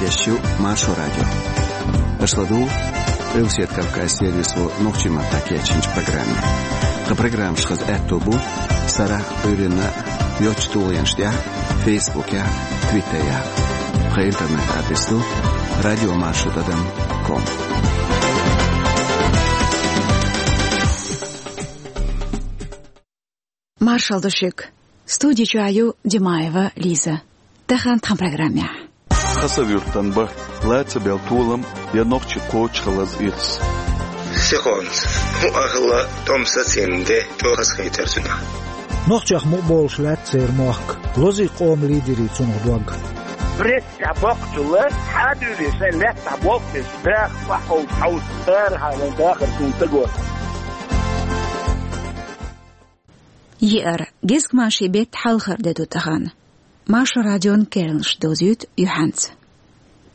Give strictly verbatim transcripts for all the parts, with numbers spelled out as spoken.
Эфирехь ю Маршо радио. Аша ладугӀу Къилбаседа Кавказ сервисо нохчийн маттахь кечйинчу программе. Тхан программаш хаза аьтто бу сарахь а, Ӏуьйранна а йоцачу тулгӀенаш тӀехь, Фейсбукехь, Твиттерехь. Тхан интернет-адрес ду радиомаршо тӀадам ком. Маршалла ду шуьга. Студи чохь ю Димаева Лиза. Тахана тхан программехь. Хасавюртан барт, лацабелла толам я нохчийн кхочушхаллаза ирс. Сихонца, хӀун ахалла тӀом сацийна де чӀогӀа хазахийтар цуьнан. Нохчех мукъа болуш лаьтта церан мохк, лозий къоман лидерийн цунах дог. Пресса баккхачул а хьадуьйлий шайн лаьттахь болх беш, даха бахьа хьовса, хьовса, цара хьалха дахар суна ца го. Еара, гезгмашин беттан хьалхара де ду тахана. Маршо радион керланаш дозуьйту юьхьанца.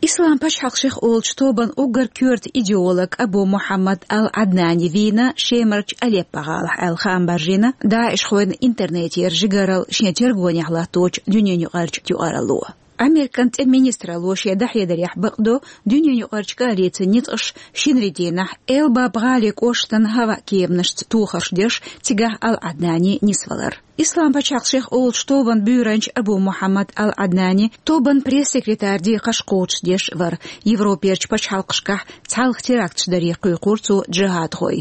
Ислам пачхьалкх шех олучу тобан уггар коьрта идеолог Абу Мухьаммад ал-Ӏаднани вийна Шемарчу Алеппо гӀалахь аьлла хаам баржийна ДАИШхойн интернетера жигаралла шен тергонехь латточу дуьненаюкъарчу юкъаралло. Американ тӀеман министралло шен дӀахьедарехь бакъдо дуьненаюкъарчу коалицин ницкъаш шинарин дийнахь Эль-Баб гӀалин кӀоштан хӀаваан кеманашца тохарш деш, цигахь ал-Ӏаднани нисвалар. Ислам пачхьалкх шех олучу тобан буьйранча Абу Мухьаммад ал-Ӏаднани тобан пресс-секретаран декхарш кхочушдеш вара. Европерчу пачхьалкхашкахь цхьалха теракташ даре кхойкхура цо джихӀадхой.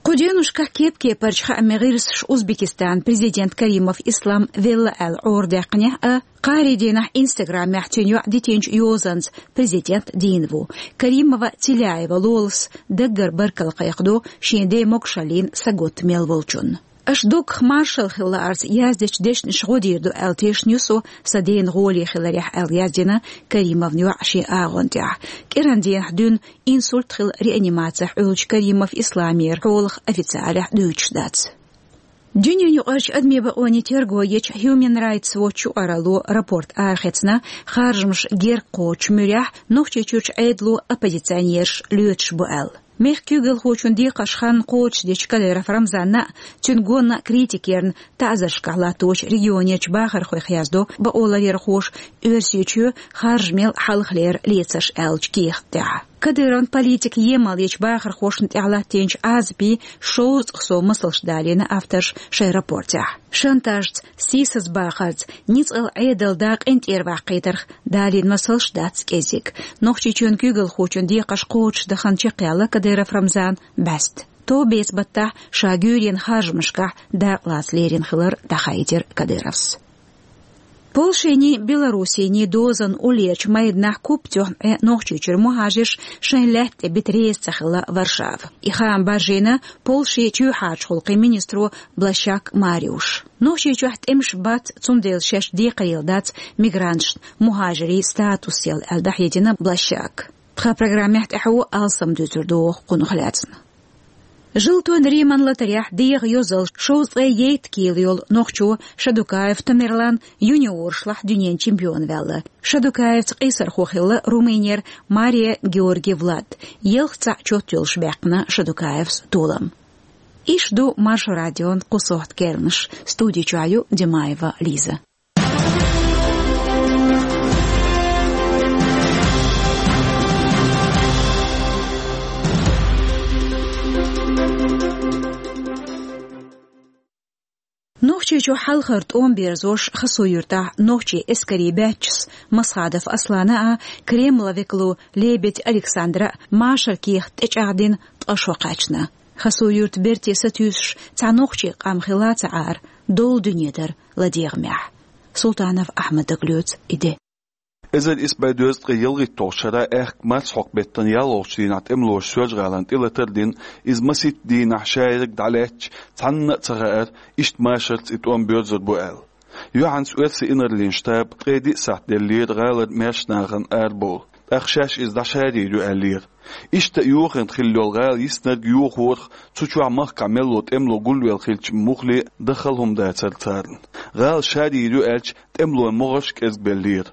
Кху деношкахь кеп-кепарчу хаамийн гӀирсаша Узбекистанан президент Каримов Ислам велла аьлла Ӏорадаьккхинехь а, кхаарин дийнахь Инстаграмехь цуьнан йоӀа дитинчу йозанца президент дийна ву. Каримова Целяева Лолас даггара баркалла кхайкхадо шен ден могушаллина саготта мел волчунна. Аша дуккха маршалла хила лаарца яздечу дешнашна гӀо дийр ду аьлла тешна ю со сан дена гӀоле хиларехь аьлла, яздина Каримовн йоӀа шен агӀон тӀехь. КӀиран дийнахь дуьйна инсульт хилла реанимацехь Ӏуьллучу Каримов Исламера хьолах официалехь дуьйцуш дац. Дуьненаюкъарчу адамийн бакъонийн терго ечу Human Rights Watch юкъаралло рапорт арахецна, харжамаш герга кхочучу муьрехь Нохчийчуьрчу Ӏедало оппозиционераш лоьцуш бу аьлла. Мехкан куьйгалхочун декхарш хан кхочушдечу Кадыров Рамзанна а, цуьнан гонна а критика ярна таӀзаршкахь латточу регионерчу бахархойх яздо бакъоларъярхоша Оьрсийчоь харжамел хьалхалера лецарш аьллачу кехат тӀехь. Кадыровн политикан емал ечу бахархошна тӀехь латтийначу Ӏазапийн шовзткъа сов масалш далийна авторша шайн рапортехь. Шантажца, сийсазбахарца, ницкъала Ӏедалан да къинтӀера ваккхийтарх далийна масалш дац кӀеззиг. Нохчийчоьнан куьйгалхочун декхарш кхочушдан хан чекхъяьлла Кадыров Рамзанан бӀаьста. Товбеца баттахь ша гуьйренан харжамашкахь дакъалаца лерина хилар дӀахаийтира Кадыровс. Польшиний, Белоруссиний дозанан уллерчу майданахь куп тоьхна Ӏе Нохчийчуьра мухӀажарш шайн лаьтта тӀе бита реза ца хилла Варшава. И хаам баржийна Польшин чоьхьарчу гӀуллакхийн министро Блащак Мариуша. Нохчийчохь тӀемаш бац, цундела шаьш декхарийлла дац мигранташна мухӀажарийн статус яла аьлла, дӀахьедина Блащака. Тхан программехь тӀаьхьо алсам дуьйцур ду кхунах лаьцна. Желтойн Риман латарехь дегӀан йозалла шовзткъе ейтта кила йолу нохчо Шадукаев Тамерлан юниоршлахь дуьненан чемпион ваьлла. Шадукаевца къийсархо хилла Румынера Мария Георги Влад. Ялх цхьаъ чот йолуш баьккхина Шадукаевс толам. Иш ду Маршо радион кху сохьта керланаш. Студи чохь ю Димаева Лиза. Нохчийчу хьалхара тӀом берзош Хасув-Юьртахь нохчийн эскарийн баьччас Масхадов Аслана а, Кремлан векало Лебедь Александра а машаран кехат тӀечӀагӀдина ткъа шо кхаьчна. Хасув-Юьртан берте сатуьйсуш цхьа нохчийн къам хилла ца Ӏара, долу дуьне дара ладегӀамехь. Султанов Ахьмада лоьцу и де. Эзар исс бӀе дезткъе ялхитталгӀачу шарахь аьхка марсхьокху беттан ялхолгӀачу дийнахь тӀемалоша Соьлжа-ГӀалина тӀелатар а дина, иза масийтта дийнахь шайраг дӀалаьцча, цхьанна а ца хаьара, иштта машарца и тӀом боьрзур бу аьлла. Юьхьанца оьрсийн инарлин штаб ткъе диъ сахьт деллера гӀалара маьрша нахана арабовла, тӀаккха шаьш иза дӀашарийр ю аьллера. Иштта а йохийна хилла йолу гӀала йиснарг йохорах, цу чохь махкахь мел долу тӀемало гулвелла хилча муххале а дахал хӀума дацара царна. ГӀала шарийр ю аьлча, тӀемалойн могӀарш кӀезгбеллера.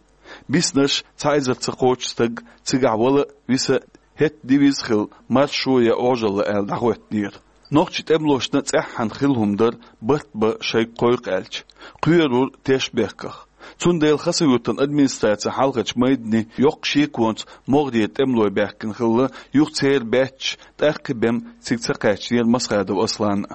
Биснарш цхьа эзар ца кхочу стаг, цигахь вала а, виса а, хӀетта дивиза хилла, маршо я Ӏожалла аьлла дӀахӀоьттинера. Нохчийн тӀемалошна цӀеххьана хилла хӀума дара барт бан шайга кхойкху аьлча, кхоьрура теш бехках. Цундела Хасавюртан администраце хьалхарча майдане йоккха шеконца могӀарера тӀемалой баьхкина хилла, юха церан баьчча, тӀаккха бен цига ца кхаьчнера Масхадов Аслан.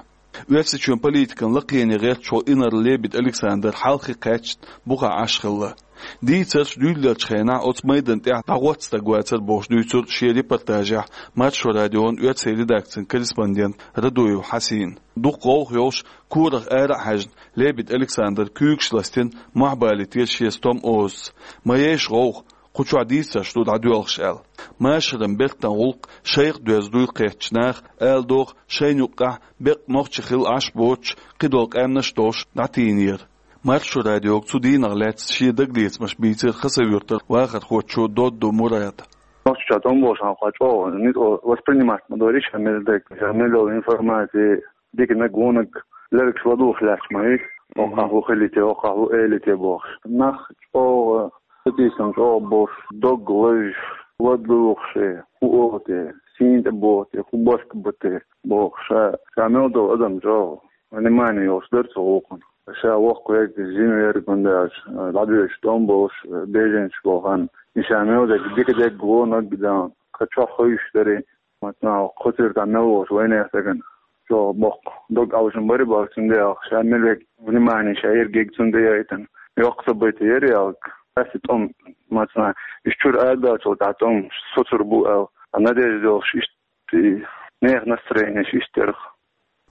Оьрсийчоьнан политикан лакхене гӀерташ волу инарла Лебедь Александр хьалхе кхаьчна бухахь Ӏаш хилла. Дийцарш дуьйлалучу хенахь оцу майдан тӀехь дӀагӀотта стаг вацара бохуш дуьйцура шен репортажехь Маршо радион оьрсийн редакцин корреспондент Радуев Хьасина. Дукха гӀовгӀа йолуш, корах ара а хьаьжна, Лебедь Александр куьйгаш ластина, мохь балийтира шен стом озаца. Ма ейша гӀовгӀа, кху чохь дийцарш ду дӀадоьлхуш аьлла. Машаран бертан гӀуллакх шайх доьзна дуй кхеттачу наха, ала догӀу, шайна юккъехь беккъа нохчий хилла Ӏаш боцуш, кхидолу къаьмнаш а долуш дӀатийнера. Маршо радиога цу дийнах лаьцна шен дагалецамаш бийцира Хасавюртара вахархочо Додду Мурада. Нохчийчохь тӀом болуш хьан кхо чӀогӀа, ницкъ воспринимать ма дойриш, ша мел дерг, ша мел йолу информаци, диканиг, вониг, лергаш ладугӀуш лаьтташ ма вуьйту, оккхахь хӀун хилийта, оккхахь хӀун элийта бохуш. Нах чӀогӀа, сатийсам чӀогӀа болуш, дог лазаш, ладугӀуш, хӀун олу те, сийна тӀе боху те, хӀун барт бу те бохуш, ша, ша мел долу адам чӀогӀа внимание йолуш дара цу гӀуллакхана. Ша воккха верг, жима верг, хӀунда аьлча, дӀадоьдуш тӀом болуш, беженцаш болу хан. И ша мел дерг, дика дерг, вониг дан, кхин чохь хуьйшуш дарий. Маца нах кху цуьртахь мел волчу вайнех стагана чӀогӀа боккха дог алжам бара боху, цундела ша мел верг внимание ша ерриге цунна тӀе яйтина. Йоккха событие яра ялаг. Аса тӀом, маца нах, иш чуьра арадаьллачул тӀаьхьа тӀом соцур бу аьлла, а надежда йолуш иштта, и нехан настроенеш иштта яра.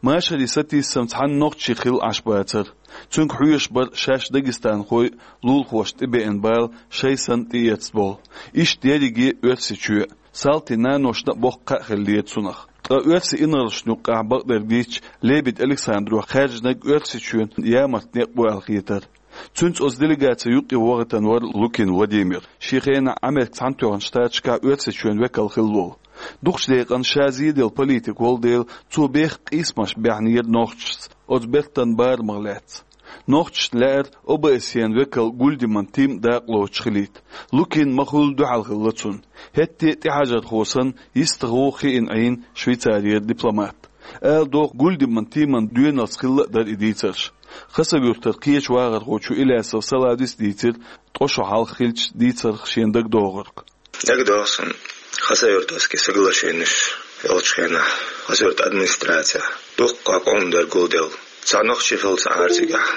Машаран сатийсам цхьана нохчий хилла Ӏаш бацара. Цуьнга хьоьжуш бара шаьш дагестанхой, лулахошна тӀебеана бала шайн санна тӀеэцна болу. Иштта ерриге Оьрсийчоь. Салтин наношна а боккха кхаъ хиллера цунах. Ткъа оьрсийн инарлашна юккъехь бакъдерг дийцча, Лебедь Александро хаьржинарг Оьрсийчоьнан ямарта некъ бу аьлла хетара. Цуьнца оцу делегацин юккъе вахийтина вара Лукин Владимир, шен хенахь Америкин Цхьаьнатоьхначу Штаташкахь Оьрсийчоьнан векал хилла волу. Дукхачу декъана ша зеделла политик волу дела, цо бехк къийсамаш баьхьнера нохчашца оцу бертан барамах лаьцна. Нохчашна лаьара О Б С Е-н векал Гульдеман Тим дакъа лоцуш хилийта. Лукин ма-хуьллу дуьхьал хилла цунна. ХӀетте а тӀехьажархо санна, йистехула хиъна Ӏийна Швейцарера дипломат. Ала догӀу, Гульдеман Тиман доьналц хилла а дара и дийцарш. Хасавюртара кхечу вахархочо Илясов Салавис дийцира ткъа шо хьалха хиллачу дийцарх шена дагадогӀург. ДагадогӀу суна, Хасавюртовский соглашенеш йолчу хенахь Хасавюртан администрацехь дуккха къоман дерг гулделла. Цхьа нохчий хилла цхьа Ӏар цигахь,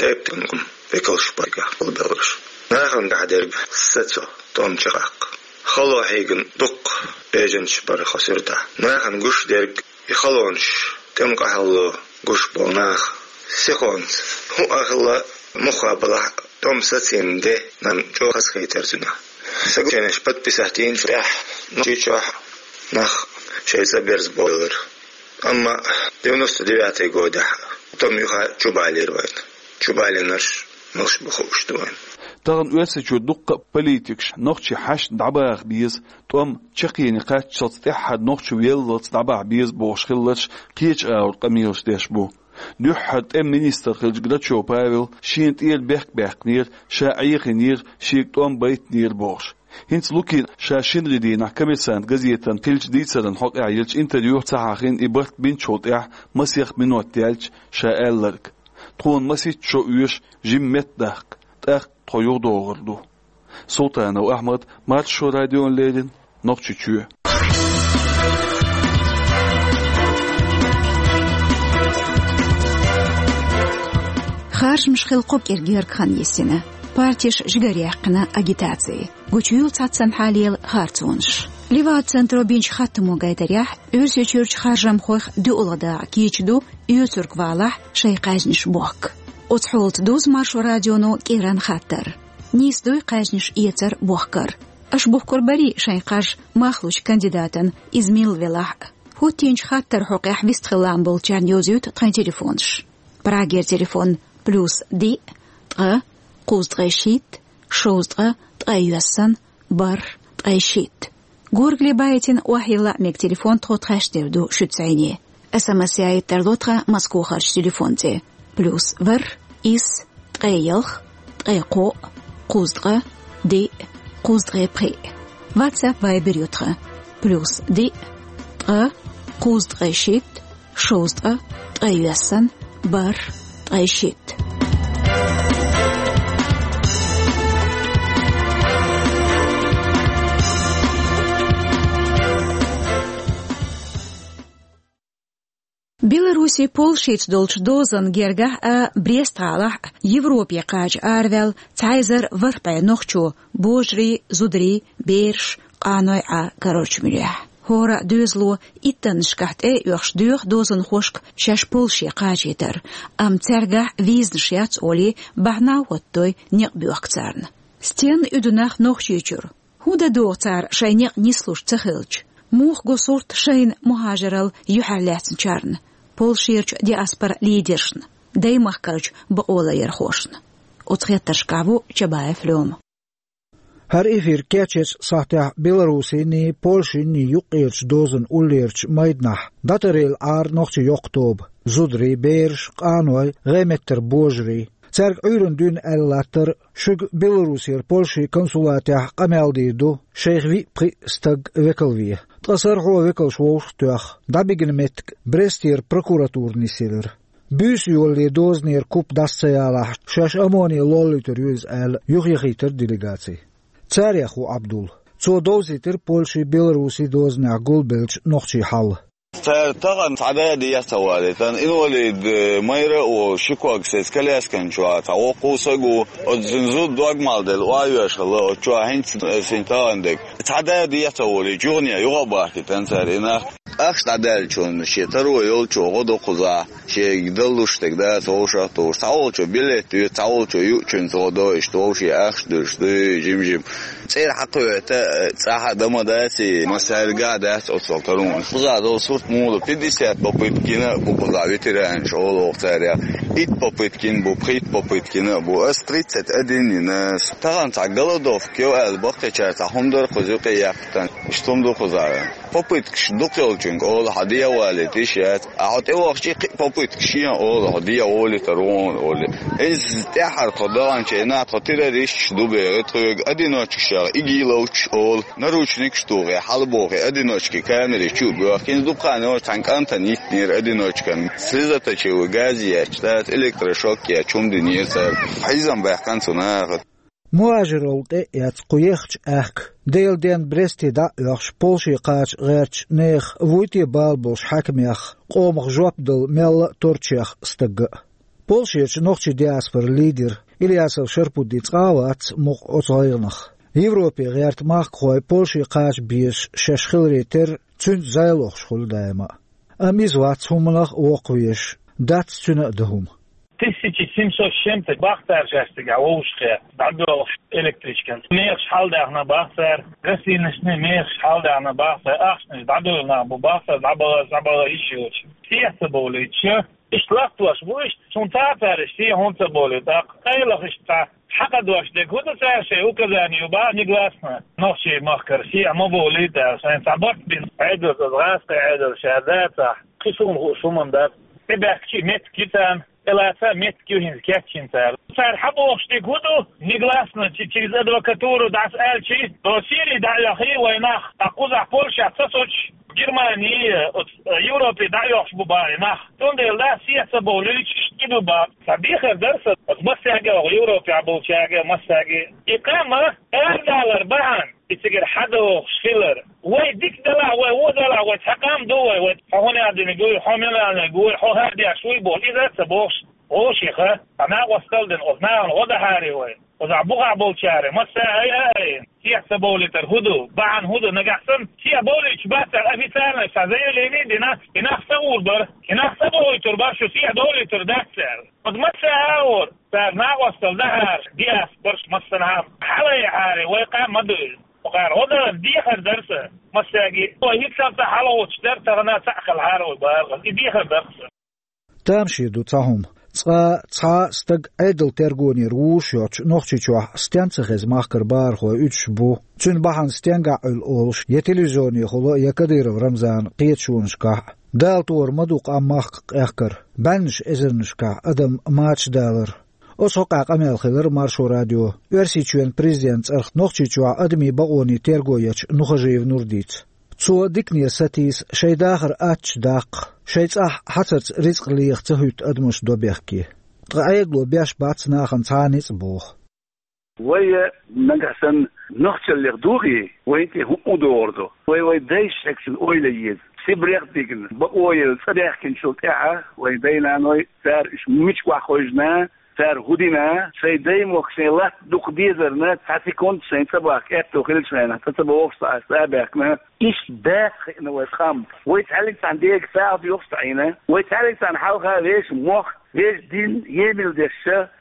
тайп-тайпана векалш бара цигахь гулбелларш. Нахана тӀехь дерг сацо, тӀом чекхдаккха. Хало хьийгина дуккха беженцаш бара Хасавюртахь. Нахана гуш дерг, и халонаш, тӀеман къахьалло гуш болу нах сихонца, хӀун а хилла, муха балахь а, тӀом сацийна де, нана чӀогӀа хазахийтара цуьнан. Соглашенеш подписать йинчул тӀаьхьа Нохчийчохь нах шайн цӀа берзабовлура. Амма девяносто девятый годехь тӀом юха чубалийра вайна. Чубалийнарш малаш бу хууш ду вайна. Тахана Оьрсийчоь дуккха а политикаш нохчий хьаьшна дӀабаха беза, тӀом чаккхене кхаччалц, тӀаьххьара нохчо веллалц дӀабахьа беза бохуш хилларш кхечу агӀор къамелаш деш бу. Дуьххьара тӀеман министр хиллачу Грачев Павел шена тӀера бехк баьккхинера, ша Ӏехийнера, шега тӀом байтинера бохуш. ХӀинца Лукина ша шинарин дийнахь «Коммерсант» газетана хиллачу дийцаран хьокъехь йиллачу интервьюхь ца хьахийна и барт бинчул тӀаьхьа масех минот яьлча ша аьлларг: «Тхуна масийтта шо оьшу жима метта даккха, тӀаккха тхо юхадогӀур ду». Султанов Ахьмад, Маршо радиона леррина, Нохчийчоь. Харжамаш хилла кхо кӀира гергга хан йисина. Партеш жигара яьккхина агитаци. Гучуйолу цхьаццанхьа лела харцонаш. Левада центро бинчу хаттамо гайтарехь, Оьрсийчуьрчу харжамхойх доьалгӀа дакъа кийча ду оьцург валахь шайн кхаьжнаш бохка. Оцу хьолаца дузу Маршо радионо кӀиран хаттар. Нийса дуй кхаьжнаш эцар бохкар? Аша бухкур барий шайн кхаж мах лучу кандидатан, иза милла велахь а? ХӀоттийначу хаттаран хьокъехь вистхила лаам болчарна йовзуьйту тхайн телефонаш. Прагера телефон: плюс диъ, ткъа, кхузткъе шийтта, шовзткъа, ткъе йоьссан, бархӀ, ткъе шийтта. Горгали байтина охьайилла мега телефон тхо тхаьш дер ду шуьца зӀене. СМС яийта тарло тхан Москохарчу телефон тӀе: плюс ворхӀ, исс, ткъе ялх, ткъе кхоъ, кхузткъа, диъ, кхузткъе пхиъ. WhatsApp, Viber ю тхан: плюс диъ, ткъа, кхузткъе шийтта, шовзткъа, ткъе йоьссан, бархӀ, ткъе шийтта. Беларусин Польшица долчу дозанна гергахь а, Брест-гӀалахь а Европе кхача араваьлла цхьа эзар ворхӀ бӀе нохчо: божарий, зударий, бераш, къаной Ӏа, короче, муьрехь. ХӀора доьзало иттаннашкахь тӀе а оьхуш доьху дозанхошка шаьш Польше кхачийтар, амма цаьргахь визанаш яц олий, бахьана а хӀоттадой некъ боьхка царна. Стенна уьду нах Нохчийчуьра? ХӀун дан догӀу цара шайн некъ нислуш ца хилча? Муха го сурт шайна мухӀажаралла юьхьӀаьрлаьцначарна, Польшерчу диаспоран лидершна, даймахкарчу бакъоларъярхошна? Оцу хеттаршкахь ву Чабаев Лёма. ХӀара эфир кечъечу сахьтехь Беларусиний, Польшиний юккъерчу дозанна уллерчу майданахь дӀатаръелла Ӏара нохчийн йоккха тоба: зударий, бераш, къаной, гӀеметтара божарий. Цаьрга Ӏуьйранна дуьйна аьлла латтара: шуьга Беларусера Польшин консулатехь къамел дийр ду, шайх виъ-пхиъ стаг векал ве. Ткъа сарахьо векалш вовшахтоьхна, дӀабигна меттиг Брестера прокуратура нисъелира. Буьйса йолале дозанера куп дӀаса ца ялахь, шаьш ОМОНе лоллуьйтур ю иза аьлла, юхаяхийтира делегаци. Царех ву Ӏабдул. Цо довзийтира Польшин, Беларусин дозанехь гулбеллачу нохчийн хьал. Цара тахана цхьа да а де ца валийта, инвалид майра а волуш, ши ког сецна коляскан чохь цхьа воккха стаг ву, оцу цуьнан зуда дог мел делла охьайоьжна хилла, оцу чохь хӀинца синтагӀан дерг. Цхьа да а де ца волийча, юхане юха а бахкийтина цара и нах. Ахча дӀадаьллачунна шен таро йолчо гӀо до кхузахь, шега даллуш стаг дац вовшах а тухуш. Цхьаволчо билет ве, цхьаволчо юучуьнца гӀо до, иштта вовшийн ахча дуьллуш дуй, жим-жим. ЦӀера хьакхоьвета, цӀахь а дан ма дац и, массаьрга а дац оццул таро. Кхузахь долу сурт муха ду: пятьдесят попытка йина а бу кхузахь ветеранаш, олу оха царех. Итт попытка йина бу, пхийтта попытка йина а бу. Ас тридцать один йина. Тахана цхьа голодовка йо аьлла, баккхийчара цхьа хӀума дара кхуза юкъе яьккхина. Иштта хӀума ду кхузахь. Попыткаш дукха йолчуьнга олу: хьан дегӀ валийта йиш яц. А хьо тӀевахча, кхин а попытка шена олу, хьо дегӀ волуьйтур ву хьуна олий. ХӀинца тӀаьххьара тхо даханчу хенахь тхо террористаш ду боху тхоьга, одиночкашах ИГИЛовцаш олу, наручникаш тухий, хьалабохий, одиночки камери чу а боьхкина. ХӀинца дукха хан йолуш цхьана кӀантана йиттинера одиночкан. Слезоточивый газ етташ, тӀаккха электрошок етташ хӀума динера цара. Хьийзам баьккхина цу наха. МухӀажаралла тӀе а эцна кху еххачу аьхка, Делан денна Бресте дӀа а оьхуш, Польше кхача гӀертачу нехан вуй те бала болуш хьаькамех къомах жоп дала мелла а торчех стагга а. Польшерчу нохчийн диаспоран лидер Ильясов Шарпудди цкъа а вац мукъа оцу гӀайгӀанах. Европе гӀерта махкахой Польше кхача безаш шаьш хиларе терра, цуьнца зӀе лохуш хуьлу даима а. Амма иза вац хӀуманах а воккхавеш, дац цуьнан а дан хӀума. Тысяча семьсот с чем-то бах цара шаьш цигахь вовшахкхетта, дӀадоьлхуш электричкан. Мехаш хьалдаьхна бах цара, гостиницашна мехаш хьалдаьхна бах цара, ахчанаш дӀадоьлху нах бу бах цара, дӀабала, дӀабала йиш йоцуш. Сехьа ца бовлуьйтуш, иштта латтош бу иштта, цунна цара иштта сехьа хӀунда ца бовлуьйту, тӀаккха къайлаха иштта цхьа хьакъ дош дерг хӀун ду цара шайн указание ю бах негласно. Нохчийн махкара сехьа ма бовлуьйту аьлла, шайн цхьа барт бина Ӏедалца, гӀазкхийн Ӏедалца ша дацахь, кхин суна хууш хӀуманна дац. ТӀебаьхкича меттиг ю царна. ТӀелаца меттиг ю хӀинца кечйина цара. Цара хьан бохуш дерг хӀун ду? Негласно чи-, через адвокатуру дӀасааьлчи, России дӀа а йохий вайн нах, а кхузахь Польшехь ца соцуш, Германии, оцу, э, Европе дӀа а йохуш бу бах и нах. Цундела да, сехьа ца бовлуьйтуш, и ду бах. Сан дехар дара сан, оцу массаьрга а, оха Европехь болчаьрга а, массаьрга а. И къам арадалар бахьана, и цигара хьадохуш хилар. Вай дика далахь, вай вон далахь, вай цхьа къам ду вай, вай хьо хӀун аьлла динарг вуй, хьо мила аьлларг вуй, хьо хӀара деш вуй боху, иза а ца бохуш, вовшех а, цхьа накъосталла дина, оцу нахана гӀо дахьара вай. Оцу бухахь болчара, массара а айина, сехьа ца бовлийтар хӀун ду, бахьана хӀун ду, нагахь санна сехьа бовлуьйтуш бац аьлла, официально цхьа заявление а дина, и нах са гӀур бара, и нах са бовлуьйтур бара, шу сехьа довлуьйтур дац аьлла. Оцу массара а гӀора, цара накъосталла дахьара, диаспораш массанхьа а хьалаяхьара, вай къам ма ду иза. Кхара гӀо дан дехар дара сан, массаьрга а. Вай хӀинца хьалхуучуш дара, тахана цхьаъ хилахьара вай бахархой. И дехар дара сан. Тамашийна ду цхьа хӀума. Цкъа цхьа а стаг Ӏедалан тергонера вузуш йоцуш Нохчийчохь стен ца хеза махкара бахархой уьдуш бу, цуьнан бахьана стенгахь Ӏуьллу олуш, я телевизионехула, я Кадыров Рамзанан кхеташонашкахь. Дала тӀера ма ду къам махка къехкар, бӀеннаш эзарнашкахь адам мачадалар. Оцу хьокъехь къамел хилира Маршо радион Оьрсийчоьнан президентан цӀарах Нохчийчохь адамийн бакъонийн терго ечу Нухажиев Нурдица. Цо дикане сатийса шайн дахар аттачу даккха, шайн цӀахь хьацарца рицкъ леха ца хӀуьтту адамаш добехке. Ткъа Ӏедало беш бац нахана цхьа а ницкъ боху. Вай нагахь санна нохчаллех дохий, вайн тӀе хӀуъу догӀур ду. Вай вайн дайша шекцина ойла еза. Сибрех дигна, бакъо елла цӀа даьхкинчул тӀаьхьа вайн дай-наной, цара уьш мича охьахевшина, цара хӀун дина, шайн даймохк, шайн латта дукха дезарна цхьа секунд шайн цӀа бахка аьтту хилча, шайна цӀа ца бохуш, цхьа а цӀа а баьхкина, иштта бац хиъна вай къам. Вай цхьаьллиг цхьана дега сагӀа доьхуш ца Ӏийна, вай цхьаьллиг цхьана хьалха вешан мохк, вешан дин емал деш,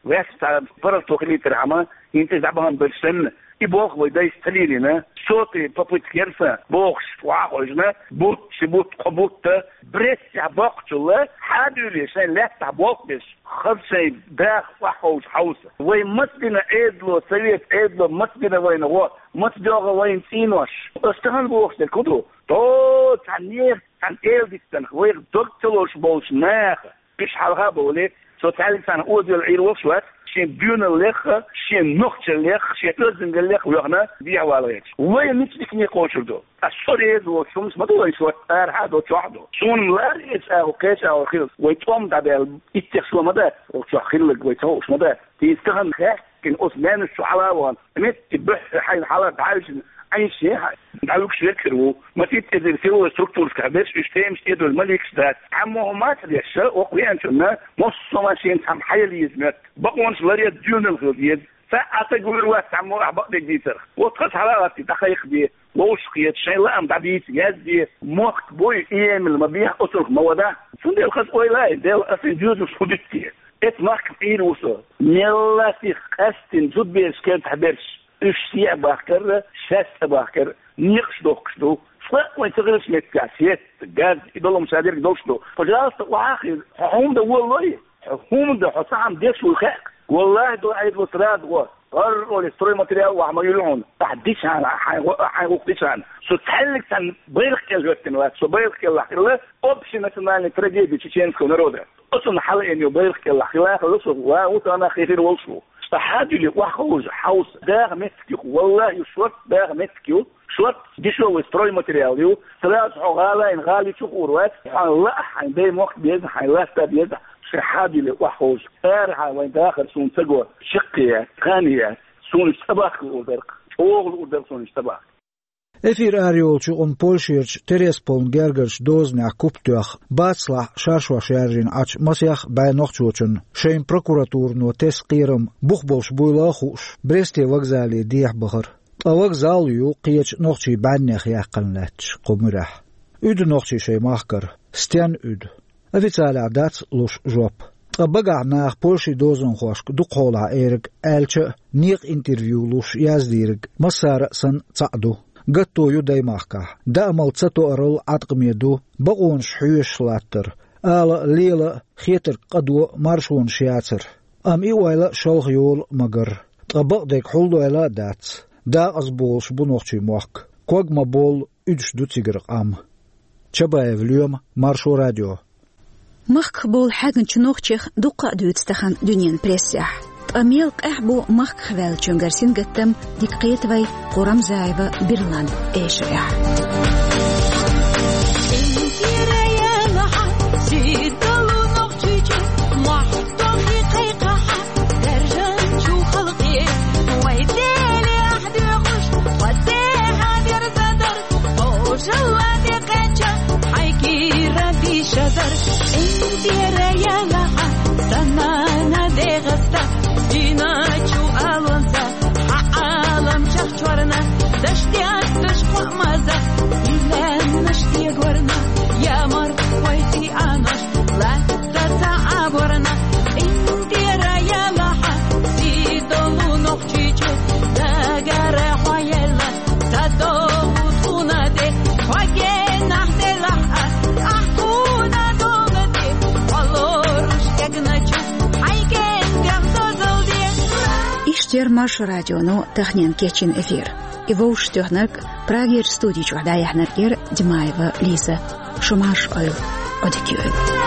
ваьш цхьа паргӀато хилийтархьама, хӀинца иза дӀабахана берш санна, и болх вай дайша ца лелийна, сотый попытка яра сан бохуш, охьахевшина, бутт, ши бутт, кхо бутт, Брестехь боккхучул хьадуьйлий шайн лаьттахь болх беш, хаза шайн даха охьаховша хьовса. Вай маца дина Ӏедало, совет Ӏедало маца дина вайна гӀо, маца доьгӀна вайна цӀенош. Ас тахана бохуш дерг хӀун ду? Тхо цхьа нехан, цхьана эладитанах вайх дог ца лозуш болчу наха, уьш хьалха а бовлий, со цхьаьллиг цхьана озавелла Ӏийр волуш вац, шен доьналлех а, шен нохчаллех а, шен оьздангаллех а воьхна дехьавала гӀерташ. Вай мича дикане кхочур ду? Ткъа со реза волчу хӀуманца ма ду вайн шорта, арахьа а ду, чохь а ду. Суна ма лаьара иза агӀо, кхечу агӀор хилла. Вай тӀом дӀадаьлла, иттех шо ма дац, оцу чохь хилларг вай ца хууш ма дац. Иза тахана хаьттина, оцу маьннаш чу хьала а вахана, метте буьххье хьайна хьала дӀаьвжина, Ӏайшин хьайн дӀавуьгуш верг хир ву. Масийтта эзар силовой структурашкахь берш уьш темаш тӀедуьллу ма лийкаш дац. Цхьаммо хӀума ца деш, оха веанчунна, массо а шена цхьамма хьаяла еза моьтту. Бакъонаш ларъян доьналла хила деза. Цхьа а ца гур вац цхьаммо ахь бакъдерг дийцарх. Вот хаза хьала а гӀаттий, дӀакхайкхаде, вовшахкхета, шайн лаам дӀадийца, язде, мохк буй, эмал ма бехьа, оцунах ма вада. Цундела хаза ойла а, Дела, аса и доьзалш хӀун дитте? Эцу махках Ӏийр ву со. Мелла а сиха къаьстина зудабераш кертахь берш, уьш сехьа бахкар а, шаьш цӀа бахкар а, некъаш дохкуш ду. Цкъа а вайн ца хиллачу меттигехь сетта, газ, и долу хӀума ша дерг долуш ду. Пожалуйста, охьа а хила, хьо хӀунда волалой? Хьо хӀунда, хьо цхьа хӀума деш вуй хаьа? Валлахи, до Ӏедало сразу гӀо. ГӀарра олий, стройматериал охьа ма юьллу хьуна. Ахь дичахьана, хьайн гӀо-, хьайн гӀуллакх дичахьана. Со цхьаьллиг цхьана байракх кӀел хӀоьттина вац. Со байракх кӀелахь хилла общенациональная трагедия чеченского народа. Оцунна хьалаайна йолу байракх кӀелахь хила а хилла со, ва ву тахана хи хир волуш ву. Цкъа хьадуьйлий охьаховша хьовса. Даха меттиг ю-кх, валлахи, ю шорта даха меттиг ю. Шорта дешевый стройматериал ю, сразу хьо гӀалайна гӀали чу хуур вац, хьайн лаахь, хьайн даймохк беза, хьайн латта беза, шайн хьадуьйлий охьаховша. Арахьа вайн дахар суна ца го, чаккхе яц, кхане яц, суна иштта цӀа бахка луур дара-кх, чӀогӀа луур дара суна иштта цӀа бахка. Эфир арайолчу юкъана Польшерчу Тересполан гергарчу дозанехь куп тоьхна, бацлахь шаршош яржийна Ӏачу масех бӀе нохчочунна шайн прокуратурано тесна кхерам бух болуш буйла а хууш, Бресте вокзале дехьа бахара. Ткъа вокзал а ю кхечу нохчийн бӀаьннех яьккхина лаьтташ кху муьрехь. Уьду нохчий шайн махкара. Стенна уьду? Официалехь дац луш жоп. Ткъа багахь наха Польшин дозанхошка дукхахьолахь эриг аьлча а, некъан интервью луш яздийриг массара а санна цхьаъ ду. Гатто ю даймахкахь. Даамал ца тоарал Ӏаткъаме ду бакъонаш хьоьшуш латтар, ала а, лела а, хетарг къадо а, маршонаш яцар. Амма и ойла а шалха йолу а ма-гарра. Ткъа бакъдерг хьулдойла а дац. Декъаза болуш бу нохчийн мохк. Ког ма-боллу, уьдуш ду цигара къам. Чабаев Лоьма, Маршо радио. Махках болу хьаьгначу нохчех дуккха а дуьйцу тахана дуьненан прессехь. Ткъа мел къаьхьа бу махках ваьллачуьнгара сингаттам, дика кхета вай Курамзаева Бирлан эшарехь. Ожалла тӀекхаьчча, хьайн кийра дийшадар, цӀентера ялахьа, сан нана дегӀаста, дийначу алонца, хьан Ӏаламчех чорна, даш детташ кхоъмаза, лаьмнаш дегорна, ямар вай цӀий анош, латта ца Ӏаборна, цӀентера ялахьа, сий долу нохчийчу, дагара хьо елла. Ца догӀу тхуна де, хьо генахь делахь ас, ахь тхуна догӀу де, хьо лоруш дегначу, хьайн кенгех дозалла де. Иштта яра Маршо радионо таханлерчу кечйина эфир. И вовшахтоьхнарг, Прагерчу студи чохь дӀаяьхьнарг яра Димаева Лиза. Шу марша Ӏойла, Ӏодика йойла.